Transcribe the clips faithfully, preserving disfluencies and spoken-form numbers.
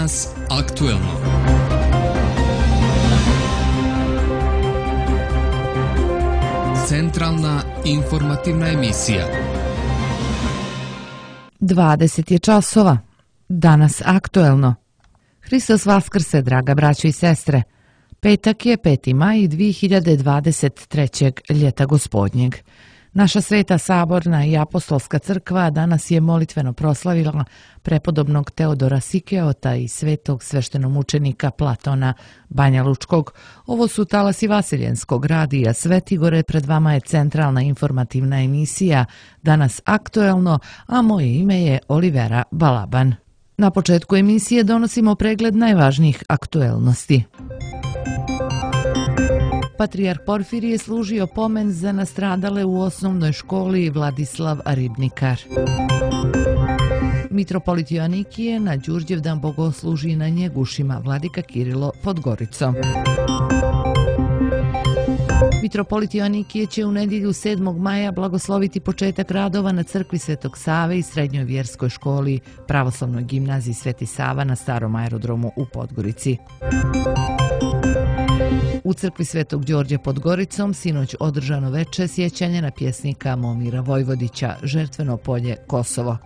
Danas aktuelno. Centralna informativna emisija. dvadeset je časova. Danas aktuelno. Hristos vaskrse, draga braćo i sestre. Petak je peti maj dvije hiljade dvadeset trećeg ljeta gospodnjeg. Naša sveta saborna i apostolska crkva danas je molitveno proslavila prepodobnog Teodora Sikeota i svetog sveštenomučenika Platona Banjalučkog. Ovo su talasi Vasiljenskog radija Svetigore, pred vama je centralna informativna emisija Danas aktuelno, a moje ime je Olivera Balaban. Na početku emisije donosimo pregled najvažnijih aktuelnosti. Patrijarh Porfirije služio pomen za nastradale u osnovnoj školi Vladislav Ribnikar. Mitropolit Joanikije na Đurđevdan bogosluži na Njegušima, vladika Kirilo Podgoricom. Mitropolit Joanikije će u nedjelju sedmog maja blagosloviti početak radova na crkvi Svetog Save i srednjoj vjerskoj školi Pravoslavnoj gimnaziji Sveti Sava na starom aerodromu u Podgorici. U crkvi Svetog Đorđa pod Goricom sinoć održano veče sjećanje na pjesnika Momira Vojvodića, Žrtveno polje Kosovo.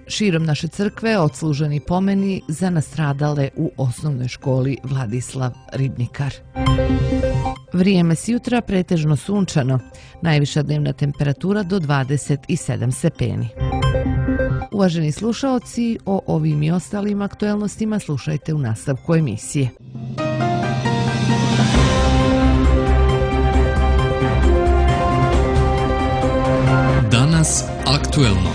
Širom naše crkve odsluženi pomeni za nastradale u osnovnoj školi Vladislav Ribnikar. Vrijeme s jutra pretežno sunčano, najviša dnevna temperatura do dvadeset sedam stepeni. Uvaženi slušaoci, o ovim i ostalim aktuelnostima slušajte u nastavku emisije. Danas aktuelno.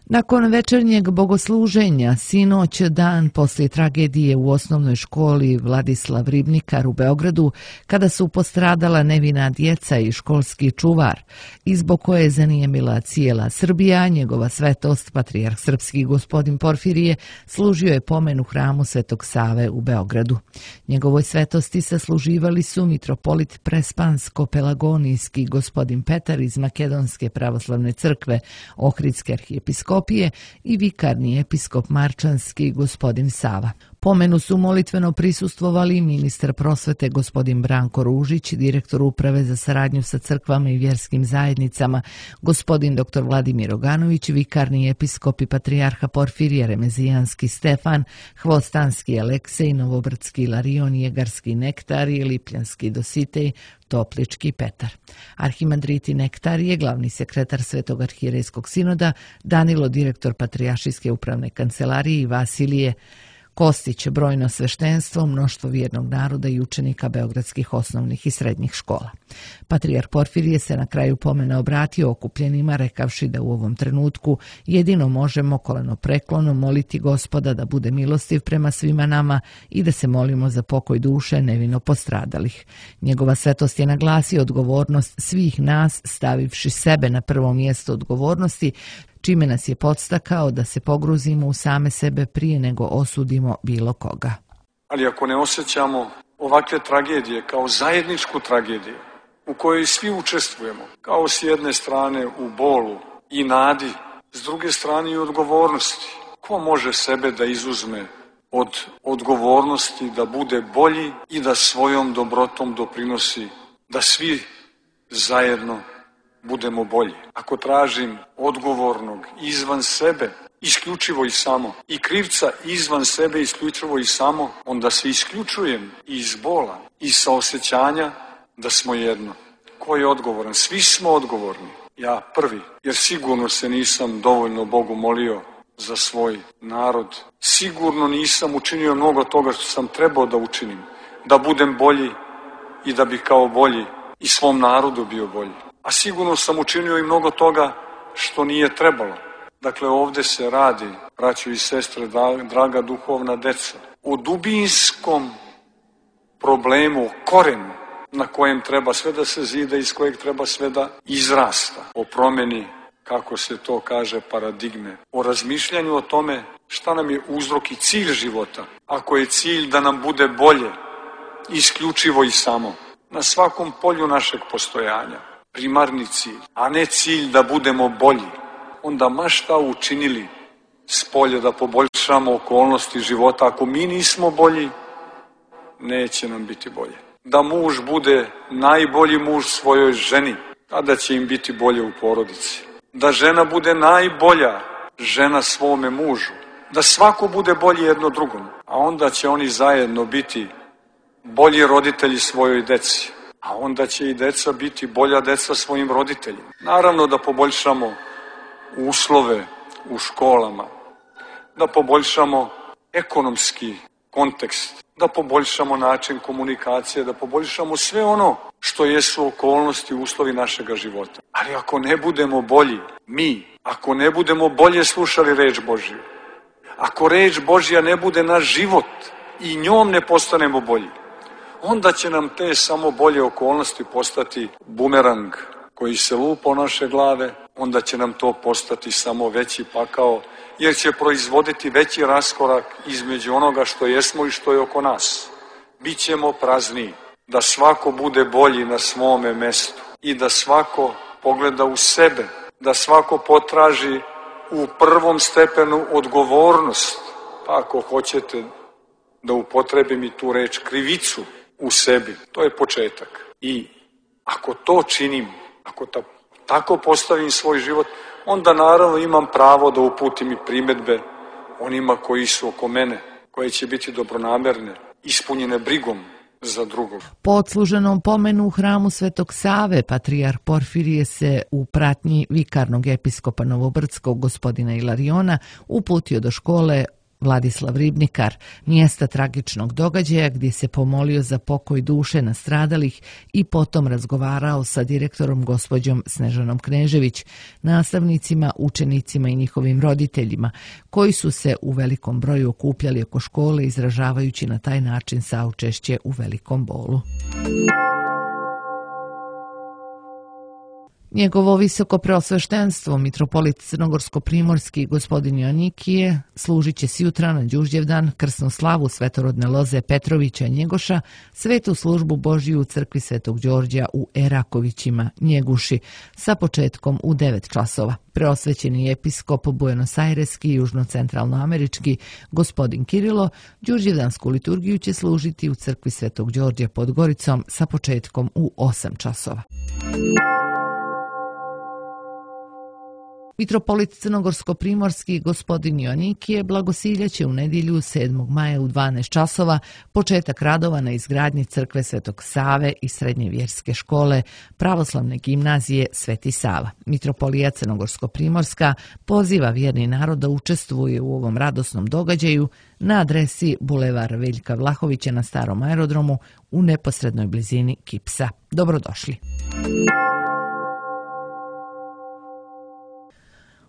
Nakon večernjeg bogosluženja, sinoć dan poslije tragedije u osnovnoj školi Vladislav Ribnikar u Beogradu, kada su postradala nevina djeca i školski čuvar, i zbog koje je zanijemila cijela Srbija, njegova svetost, patrijarh srpski gospodin Porfirije, služio je pomen u hramu Svetog Save u Beogradu. Njegovoj svetosti sasluživali su mitropolit Prespansko-Pelagonijski gospodin Petar iz Makedonske pravoslavne crkve, Ohridske arhijepiskopije i vikarni episkop Marčanski gospodin Sava. Pomenu su molitveno prisustvovali ministar prosvete gospodin Branko Ružić, direktor uprave za saradnju sa crkvama i vjerskim zajednicama gospodin doktor Vladimir Oganović, vikarni episkop i patrijarha Porfirije Remezijanski Stefan, Hvostanski Aleksej, Novobrdski Larion, Jegarski Nektarije, Lipljanski Dositej, Toplički Petar. Arhimandriti Nektarije, glavni sekretar Svetog arhijerejskog sinoda, Danilo, direktor Patrijaršijske upravne kancelarije i Vasilije Kostić, brojno sveštenstvo, mnoštvo vjernog naroda i učenika beogradskih osnovnih i srednjih škola. Patrijarh Porfirije se na kraju pomena obratio okupljenima, rekavši da u ovom trenutku jedino možemo koleno preklono moliti Gospoda da bude milostiv prema svima nama i da se molimo za pokoj duše nevino postradalih. Njegova svetost je naglasio odgovornost svih nas, stavivši sebe na prvo mjesto odgovornosti, čime nas je podstakao da se pogruzimo u same sebe prije nego osudimo bilo koga. Ali ako ne osjećamo ovakve tragedije kao zajedničku tragediju u kojoj svi učestvujemo, kao s jedne strane u bolu i nadi, s druge strane i odgovornosti, ko može sebe da izuzme od odgovornosti da bude bolji i da svojom dobrotom doprinosi da svi zajedno budemo bolji. Ako tražim odgovornog izvan sebe, isključivo i samo, i krivca izvan sebe, isključivo i samo, onda se isključujem iz bola i sa osjećanja da smo jedno. Ko je odgovoran? Svi smo odgovorni. Ja prvi, jer sigurno se nisam dovoljno Bogu molio za svoj narod. Sigurno nisam učinio mnogo toga što sam trebao da učinim, da budem bolji i da bi kao bolji i svom narodu bio bolji. A sigurno sam učinio i mnogo toga što nije trebalo. Dakle, ovdje se radi, braćo i sestre, draga duhovna deca, o dubinskom problemu, o korenu na kojem treba sve da se zida, iz kojeg treba sve da izrasta. O promjeni, kako se to kaže, paradigme. O razmišljanju o tome šta nam je uzrok i cilj života. Ako je cilj da nam bude bolje, isključivo i samo, na svakom polju našeg postojanja, primarni cilj, a ne cilj da budemo bolji, onda ma šta učinili spolje da poboljšamo okolnosti života, ako mi nismo bolji, neće nam biti bolje. Da muž bude najbolji muž svojoj ženi, tada će im biti bolje u porodici. Da žena bude najbolja žena svome mužu, da svako bude bolji jedno drugom, a onda će oni zajedno biti bolji roditelji svojoj deci, a onda će i deca biti bolja deca svojim roditeljima. Naravno da poboljšamo uslove u školama, da poboljšamo ekonomski kontekst, da poboljšamo način komunikacije, da poboljšamo sve ono što jesu okolnosti i uslovi našega života. Ali ako ne budemo bolji, mi, ako ne budemo bolje slušali reč Božju, ako reč Božja ne bude naš život i njom ne postanemo bolji, onda će nam te samo bolje okolnosti postati bumerang koji se lupa o naše glave, onda će nam to postati samo veći pakao, jer će proizvoditi veći raskorak između onoga što jesmo i što je oko nas. Bićemo prazniji, da svako bude bolji na svome mestu i da svako pogleda u sebe, da svako potraži u prvom stepenu odgovornost, pa ako hoćete da upotrebim i tu reč krivicu u sebi, to je početak. I ako to činim, ako ta, tako postavim svoj život, onda naravno imam pravo da uputim i primedbe onima koji su oko mene, koje će biti dobronamerne, ispunjene brigom za drugog. Po odsluženom pomenu u hramu Svetog Save, patrijarh Porfirije se u pratnji vikarnog episkopa Novobrdskog gospodina Ilariona uputio do škole Vladislav Ribnikar, mjesta tragičnog događaja gdje se pomolio za pokoj duše nastradalih i potom razgovarao sa direktorom gospođom Snežanom Knežević, nastavnicima, učenicima i njihovim roditeljima, koji su se u velikom broju okupljali oko škole izražavajući na taj način saučešće u velikom bolu. Njegovo visoko preosveštenstvo, mitropolit crnogorsko-primorski gospodin Joanikije, služit će sjutra na Đurđevdan krsnu slavu svetorodne loze Petrovića Njegoša, svetu službu Božju u crkvi Svetog Đorđa u Erakovićima Njeguši sa početkom u devet časova. Preosvećeni episkop Buenos Aireski i južno-centralnoamerički gospodin Kirilo Đurđevdansku liturgiju će služiti u crkvi Svetog Đorđa pod Goricom sa početkom u osam časova. Mitropolit crnogorsko-primorski gospodin Joanikije blagosiljaće u nedjelju sedmog maja u dvanaest časova početak radova na izgradnji crkve Svetog Save i srednje vjerske škole pravoslavne gimnazije Sveti Sava. Mitropolija crnogorsko-primorska poziva vjerni narod da učestvuje u ovom radosnom događaju na adresi Bulevar Veljka Vlahovića na starom aerodromu u neposrednoj blizini Kipsa. Dobrodošli.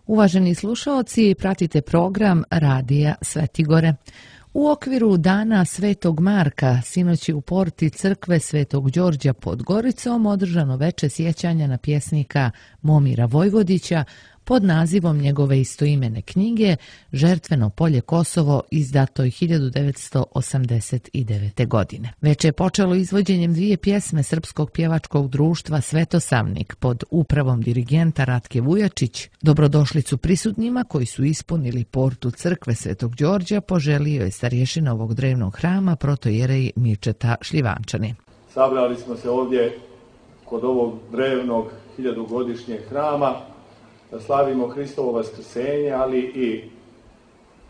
Uvaženi slušaoci, pratite program Radija Svetigore. U okviru Dana Svetog Marka sinoć je u porti crkve Svetog Đorđa pod Goricom održano veče sjećanja na pjesnika Momira Vojvodića pod nazivom njegove istoimene knjige Žrtveno polje Kosovo, izdato hiljadu devetsto osamdeset devete. godine. Veče je počelo izvođenjem dvije pjesme Srpskog pjevačkog društva Svetosavnik pod upravom dirigenta Ratke Vujačić. Dobrodošlicu prisutnima koji su ispunili portu crkve Svetog Đorđa poželio je starješina ovog drevnog hrama protojerej Mirčeta Šljivančani. Sabrali smo se ovdje kod ovog drevnog hiljadugodišnjeg hrama da slavimo Hristovo vaskrsenje, ali i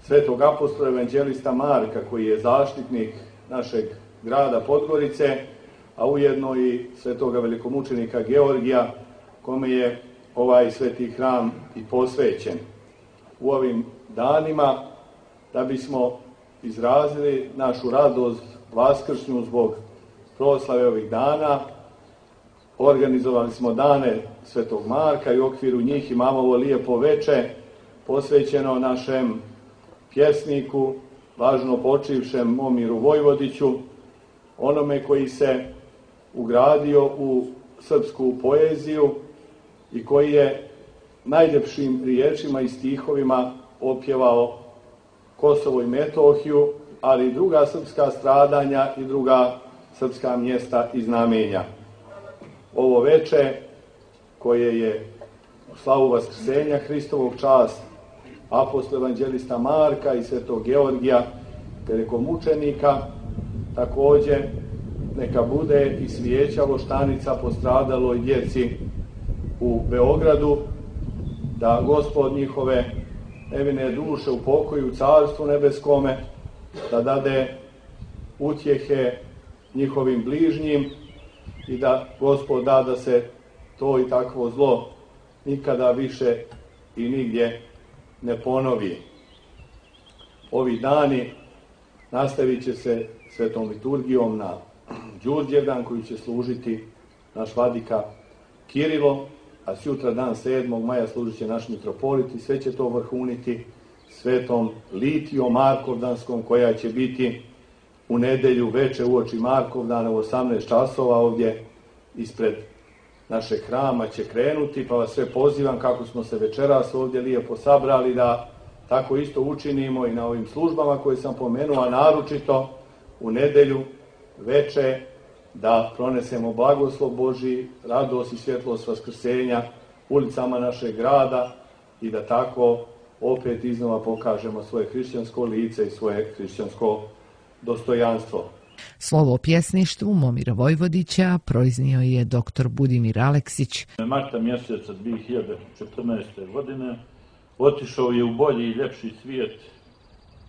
svetog apostola evanđelista Marka, koji je zaštitnik našeg grada Podgorice, a ujedno i svetoga velikomučenika Georgija, kome je ovaj sveti hram i posvećen. U ovim danima, da bismo izrazili našu radost vaskršnju zbog proslave ovih dana, organizovali smo dane Svetog Marka i u okviru njih imamo ovo lijepo veče posvećeno našem pjesniku, važno počivšem Momiru Vojvodiću, onome koji se ugradio u srpsku poeziju i koji je najljepšim riječima i stihovima opjevao Kosovo i Metohiju, ali i druga srpska stradanja i druga srpska mjesta i znamenja. Ovo veče, koje je slavu Vaskrsenja Hristovog čast apostola evanđelista Marka i svetog Georgija, velikomučenika. Također neka bude i svijeća voštanica postradaloj djeci u Beogradu, da Gospod njihove nevine duše upokoji u Carstvu nebeskome, da dade utjehe njihovim bližnjim i da Gospod da da se to i takvo zlo nikada više i nigdje ne ponovi. Ovi dani nastavit će se svetom liturgijom na Đurđevdan koji će služiti naš vladika Kirilo, a sutra dan sedmog maja služit će naš mitropolit i sve će to vrhuniti svetom Litijom Markovdanskom koja će biti u nedelju veče uoči Markovdana u osamnaest časova ovdje ispred našeg hrama će krenuti, pa vas sve pozivam kako smo se večeras ovdje lijepo sabrali da tako isto učinimo i na ovim službama koje sam pomenuo, a naročito u nedelju veče da pronesemo blagoslov Božji, radost i svjetlost Vaskrsenja ulicama našeg grada i da tako opet iznova pokažemo svoje hrišćansko lice i svoje hrišćansko dostojanstvo. Slovo o pjesništvu Momira Vojvodića proiznio je doktor Budimir Aleksić. Marta mjeseca dvije hiljade četrnaeste. godine otišao je u bolji i ljepši svijet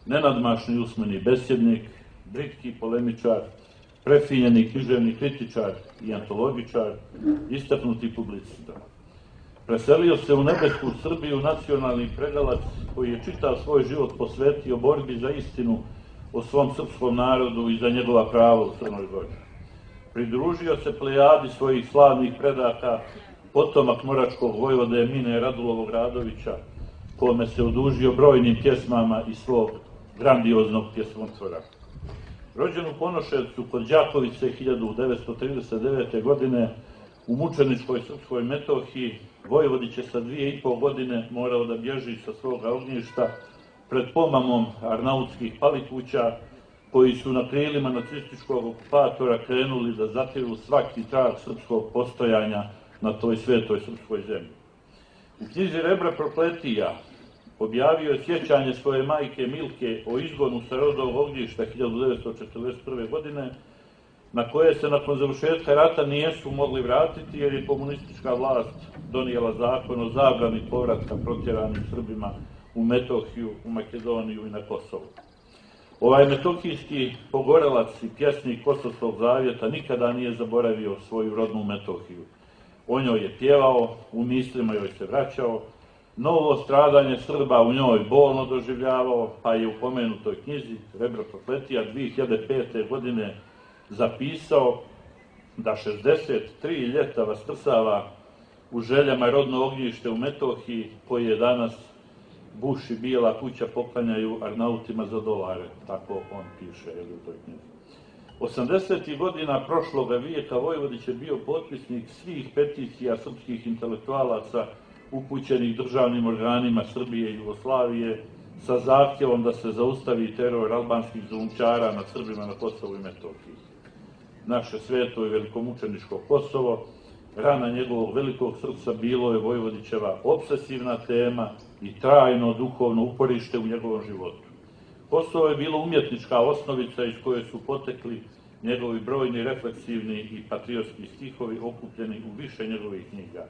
nenadmašni usmeni besjednik, britki polemičar, prefinjeni književni kritičar i antologičar, istaknuti publicista. Preselio se u nebesku Srbiju nacionalni pregalac koji je čitav svoj život posvetio borbi za istinu o svom srpskom narodu i za njegova prava u Crnoj Gori. Pridružio se plejadi svojih slavnih predaka, potomak moračkog vojvode Mine Radulovog Radovića, kome se odužio brojnim pjesmama iz svog grandioznog pjesmotvora. Rođen u Ponoševcu kod Đakovice hiljadu devetsto trideset devete. godine u mučeničkoj Srpskoj Metohiji, Vojvodić je sa dvije i pol godine morao da bježi sa svoga ognjišta pred pomamom arnautskih palikuća koji su na krilima nacističkog okupatora krenuli da zatiru svaki trag srpskog postojanja na toj svetoj srpskoj zemlji. U knjizi Rebra prokletija objavio je sjećanje svoje majke Milke o izgonu sa rodovog ognjišta hiljadu devetsto četrdeset prve. godine, na koje se nakon završetka rata nijesu mogli vratiti jer je komunistička vlast donijela zakon o zabrani povratka protjeranim Srbima u Metohiju, u Makedoniju i na Kosovu. Ovaj metohijski pogorelac i pjesnik Kosovskog zavjeta nikada nije zaboravio svoju rodnu Metohiju. O njoj je pjevao, u mislima joj se vraćao, novo stradanje Srba u njoj bolno doživljavao, pa je u pomenutoj knjizi Rebra prokletija dvije hiljade pete. godine zapisao da šezdeset tri ljeta vaskrsava u željama rodno ognjište u Metohiji, koji je danas buš i bijela kuća poklanjaju Arnautima za dolare, tako on piše u toj knjizi. osamdesetih godina prošloga vijeka Vojvodić je bio potpisnik svih peticija srpskih intelektualaca upućenih državnim organima Srbije i Jugoslavije sa zahtjevom da se zaustavi teror albanskih zulumčara nad Srbima na Kosovu i Metohiji. Naše sveto i velikomučeničko Kosovo, rana njegovog velikog srca, bilo je Vojvodićeva obsesivna tema i trajno duhovno uporište u njegovom životu. Kosovo je bilo umjetnička osnovica iz koje su potekli njegovi brojni refleksivni i patriotski stihovi okupljeni u više njegovih knjiga.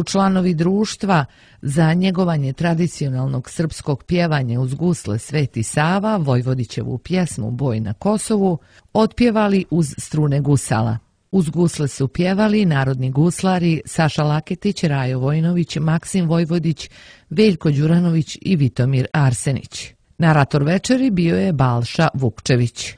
Članovi društva za njegovanje tradicionalnog srpskog pjevanja uz gusle Sveti Sava Vojvodićevu pjesmu Boj na Kosovu otpjevali uz strune gusala. Uz gusle su pjevali narodni guslari Saša Laketić, Rajo Vojnović, Maksim Vojvodić, Veljko Đuranović i Vitomir Arsenić. Narator večeri bio je Balša Vukčević.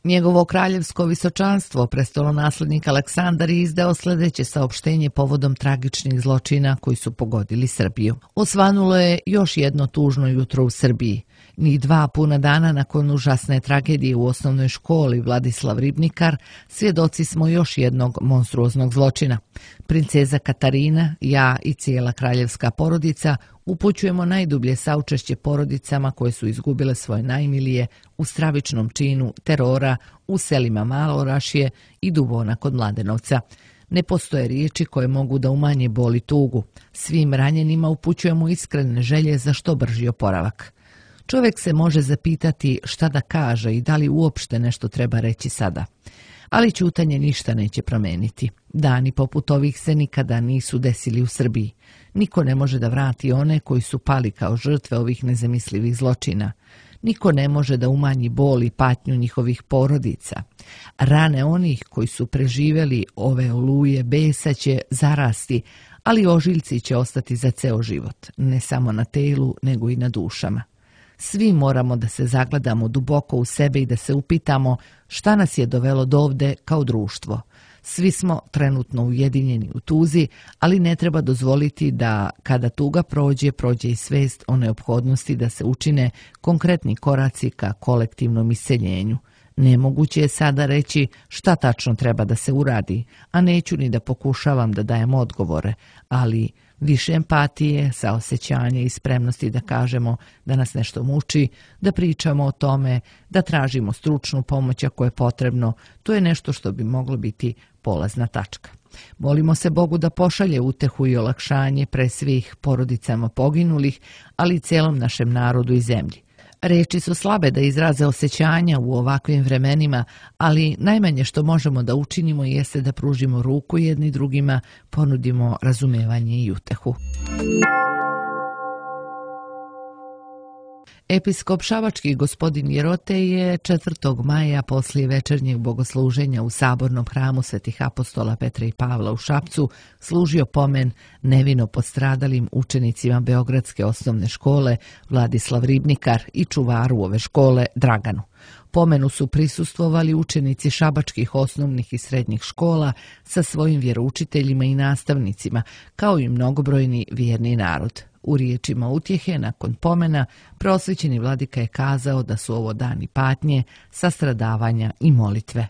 Njegovo kraljevsko visočanstvo, prestolonaslednik Aleksandar, je izdao sljedeće saopštenje povodom tragičnih zločina koji su pogodili Srbiju. Osvanulo je još jedno tužno jutro u Srbiji. Ni dva puna dana nakon užasne tragedije u osnovnoj školi Vladislav Ribnikar, svjedoci smo još jednog monstruoznog zločina. Princeza Katarina, ja i cijela kraljevska porodica upućujemo najdublje saučešće porodicama koje su izgubile svoje najmilije u stravičnom činu terora u selima Malorašje i Dubona kod Mladenovca. Ne postoje riječi koje mogu da umanje bol i tugu. Svim ranjenima upućujemo iskrene želje za što brži oporavak. Čovjek se može zapitati šta da kaže i da li uopšte nešto treba reći sada. Ali ćutanje ništa neće promeniti. Dani poput ovih se nikada nisu desili u Srbiji. Niko ne može da vrati one koji su pali kao žrtve ovih nezamislivih zločina. Niko ne može da umanji bol i patnju njihovih porodica. Rane onih koji su preživjeli ove oluje besa će zarasti, ali ožiljci će ostati za ceo život, ne samo na telu, nego i na dušama. Svi moramo da se zagledamo duboko u sebe i da se upitamo šta nas je dovelo dovde kao društvo. Svi smo trenutno ujedinjeni u tuzi, ali ne treba dozvoliti da kada tuga prođe, prođe i svest o neophodnosti da se učine konkretni koraci ka kolektivnom iseljenju. Nemoguće je sada reći šta tačno treba da se uradi, a neću ni da pokušavam da dajem odgovore, ali više empatije, saosećanja i spremnosti da kažemo da nas nešto muči, da pričamo o tome, da tražimo stručnu pomoć ako je potrebno, to je nešto što bi moglo biti polazna tačka. Molimo se Bogu da pošalje utehu i olakšanje pre svih porodicama poginulih, ali i celom našem narodu i zemlji. Reči su slabe da izraze osjećanja u ovakvim vremenima, ali najmanje što možemo da učinimo jeste da pružimo ruku jedni drugima, ponudimo razumevanje i utehu. Episkop šabački gospodin Jerote je četvrtog maja poslije večernjeg bogosluženja u sabornom hramu Svetih apostola Petra i Pavla u Šapcu služio pomen nevino postradalim učenicima Beogradske osnovne škole Vladislav Ribnikar i čuvaru ove škole Draganu. Pomenu su prisustvovali učenici šabačkih osnovnih i srednjih škola sa svojim vjeroučiteljima i nastavnicima, kao i mnogobrojni vjerni narod. U riječima utjehe nakon pomena prosvećeni vladika je kazao da su ovo dani patnje, sastradavanja i molitve.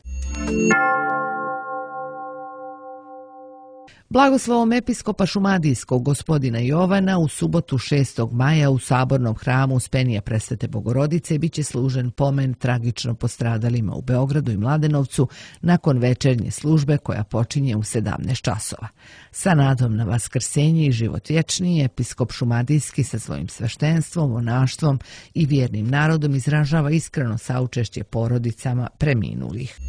Blagoslovom episkopa šumadijskog gospodina Jovana u subotu šestog maja u sabornom hramu Uspenija Presvete Bogorodice biće služen pomen tragično postradalima u Beogradu i Mladenovcu nakon večernje službe koja počinje u sedamnaest časova. Sa nadom na vaskrsenje i život vječni, episkop šumadijski sa svojim sveštenstvom, monaštvom i vjernim narodom izražava iskreno saučešće porodicama preminulih.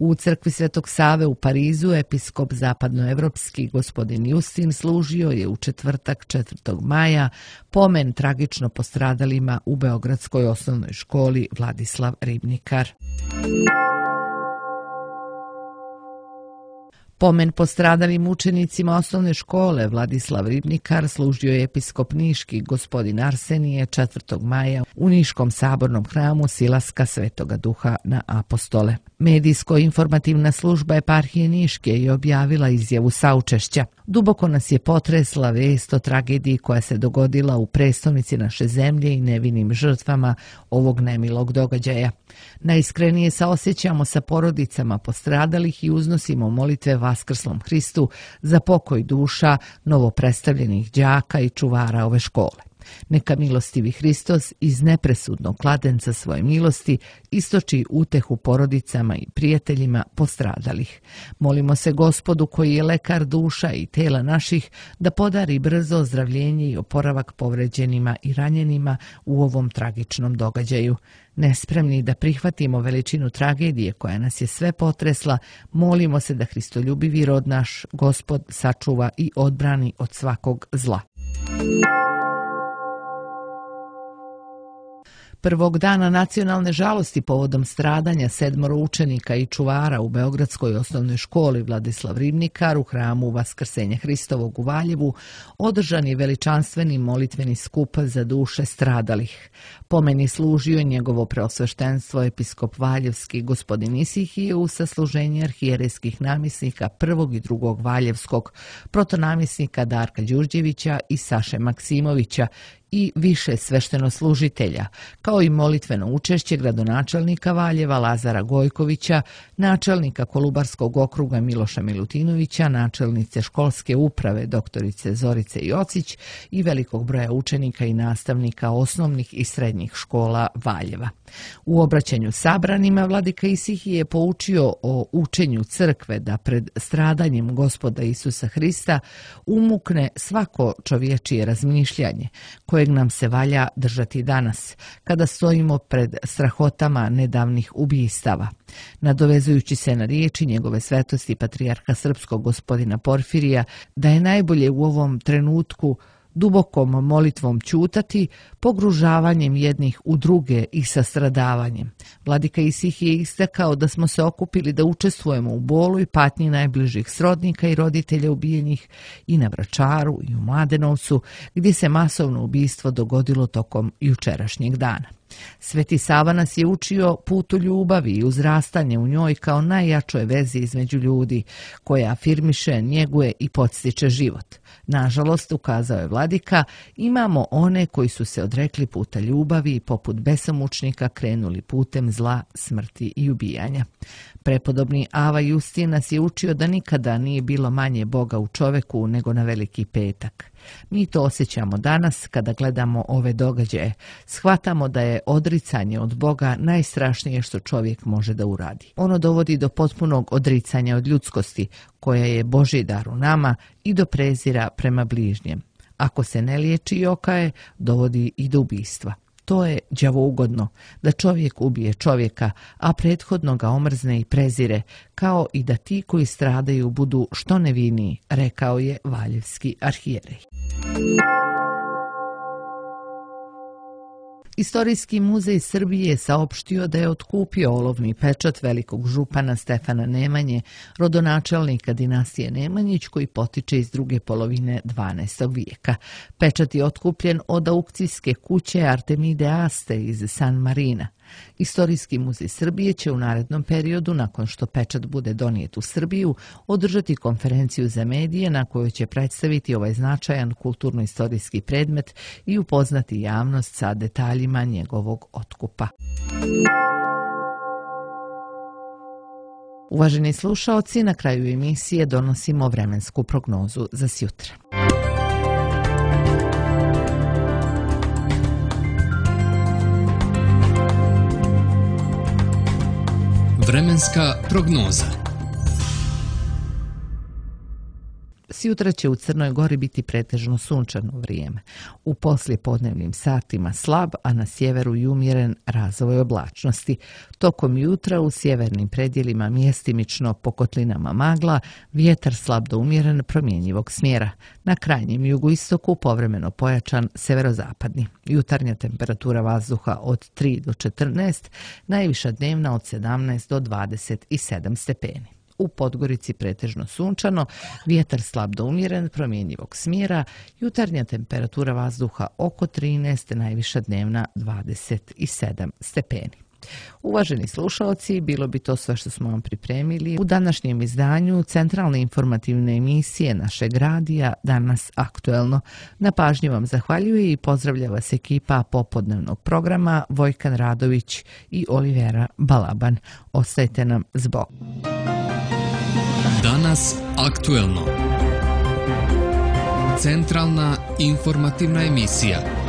U crkvi Svetog Save u Parizu episkop zapadnoevropski gospodin Justin služio je u četvrtak četvrtog maja pomen tragično postradalima u Beogradskoj osnovnoj školi Vladislav Ribnikar. Pomen postradalim učenicima osnovne škole Vladislav Ribnikar služio je episkop niški gospodin Arsenije četvrtog maja u Niškom sabornom hramu Silaska Svetoga Duha na Apostole. Medijsko-informativna služba eparhije Niške je objavila izjavu saučešća. Duboko nas je potresla vest o tragediji koja se dogodila u prestonici naše zemlje i nevinim žrtvama ovog nemilog događaja. Najiskrenije saosjećamo sa porodicama postradalih i uznosimo molitve Vaskrslom Hristu za pokoj duša novopredstavljenih đaka i čuvara ove škole. Neka milostivi Hristos iz nepresudnog kladenca svoje milosti istoči utehu porodicama i prijateljima postradalih. Molimo se Gospodu koji je lekar duša i tela naših da podari brzo ozdravljenje i oporavak povređenima i ranjenima u ovom tragičnom događaju. Nespremni da prihvatimo veličinu tragedije koja nas je sve potresla, molimo se da Hristoljubivi rod naš Gospod sačuva i odbrani od svakog zla. Prvog dana nacionalne žalosti povodom stradanja sedmoro učenika i čuvara u Beogradskoj osnovnoj školi Vladislav Ribnikar u hramu Vaskrsenja Hristovog u Valjevu održan je veličanstveni molitveni skup za duše stradalih. Pomeni služio je njegovo preosveštenstvo episkop Valjevski gospodin Isihije u sasluženje arhijerejskih namjesnika prvog i drugog Valjevskog, protonamjesnika Darka Đurđevića i Saše Maksimovića i više sveštenoslужitelja, kao i molitveno učešće gradonačelnika Valjeva Lazara Gojkovića, načelnika Kolubarskog okruga Miloša Milutinovića, načelnice školske uprave doktorice Zorice Jocić i velikog broja učenika i nastavnika osnovnih i srednjih škola Valjeva. U obraćanju sabranima vladika Isihije je poučio o učenju crkve da pred stradanjem Gospoda Isusa Hrista umukne svako čovječije razmišljanje, kojeg nam se valja držati danas, kada stojimo pred strahotama nedavnih ubistava. Nadovezujući se na riječi njegove svetosti patrijarha srpskog gospodina Porfirija, da je najbolje u ovom trenutku dubokom molitvom ćutati, pogružavanjem jednih u druge i sastradavanjem. Vladika Isihije je istakao da smo se okupili da učestvujemo u bolu i patnji najbližih srodnika i roditelja ubijenih i na Vračaru i u Mladenovcu, gdje se masovno ubistvo dogodilo tokom jučerašnjeg dana. Sveti Sava nas je učio putu ljubavi i uzrastanje u njoj kao najjačoj vezi između ljudi, koja afirmiše, njeguje i podstiče život. Nažalost, ukazao je vladika, imamo one koji su se odrekli puta ljubavi i poput besomučnika krenuli putem zla, smrti i ubijanja. Prepodobni Ava Justin nas je učio da nikada nije bilo manje Boga u čoveku nego na Veliki petak. Mi to osjećamo danas kada gledamo ove događaje. Shvatamo da je odricanje od Boga najstrašnije što čovjek može da uradi. Ono dovodi do potpunog odricanja od ljudskosti, koja je Božji dar u nama, i do prezira prema bližnjem. Ako se ne liječi i okaje, dovodi i do ubistva. To je đavougodno, da čovjek ubije čovjeka, a prethodno ga omrzne i prezire, kao i da ti koji stradaju budu što neviniji, rekao je valjevski arhijerej. Istorijski muzej Srbije je saopštio da je otkupio olovni pečat velikog župana Stefana Nemanje, rodonačelnika dinastije Nemanjić, koji potiče iz druge polovine dvanaestog vijeka. Pečat je otkupljen od aukcijske kuće Artemide Aste iz San Marina. Istorijski muzej Srbije će u narednom periodu, nakon što pečat bude donijet u Srbiju, održati konferenciju za medije na kojoj će predstaviti ovaj značajan kulturno-istorijski predmet i upoznati javnost sa detaljima njegovog otkupa. Uvaženi slušaoci, na kraju emisije donosimo vremensku prognozu za sjutra. Vremenska prognoza. Sjutra će u Crnoj Gori biti pretežno sunčano vrijeme. U poslijepodnevnim satima slab, a na sjeveru i umjeren razvoj oblačnosti. Tokom jutra u sjevernim predjelima mjestimično po kotlinama magla, vjetar slab do umjeren promjenjivog smjera. Na krajnjem jugoistoku povremeno pojačan severozapadni. Jutarnja temperatura vazduha od tri do četrnaest, najviša dnevna od sedamnaest do dvadeset sedam stepeni. U Podgorici pretežno sunčano, vjetar slab do umjeren promjenjivog smjera, jutarnja temperatura vazduha oko trinaest, najviša dnevna dvadeset sedam stepeni. Uvaženi slušalci, bilo bi to sve što smo vam pripremili u današnjem izdanju centralne informativne emisije našeg radija Danas aktuelno. Na pažnji vam zahvaljuje i pozdravlja vas ekipa popodnevnog programa Vojkan Radović i Olivera Balaban. Ostajte nam s Bogom. Danas aktuelno. Centralna informativna emisija.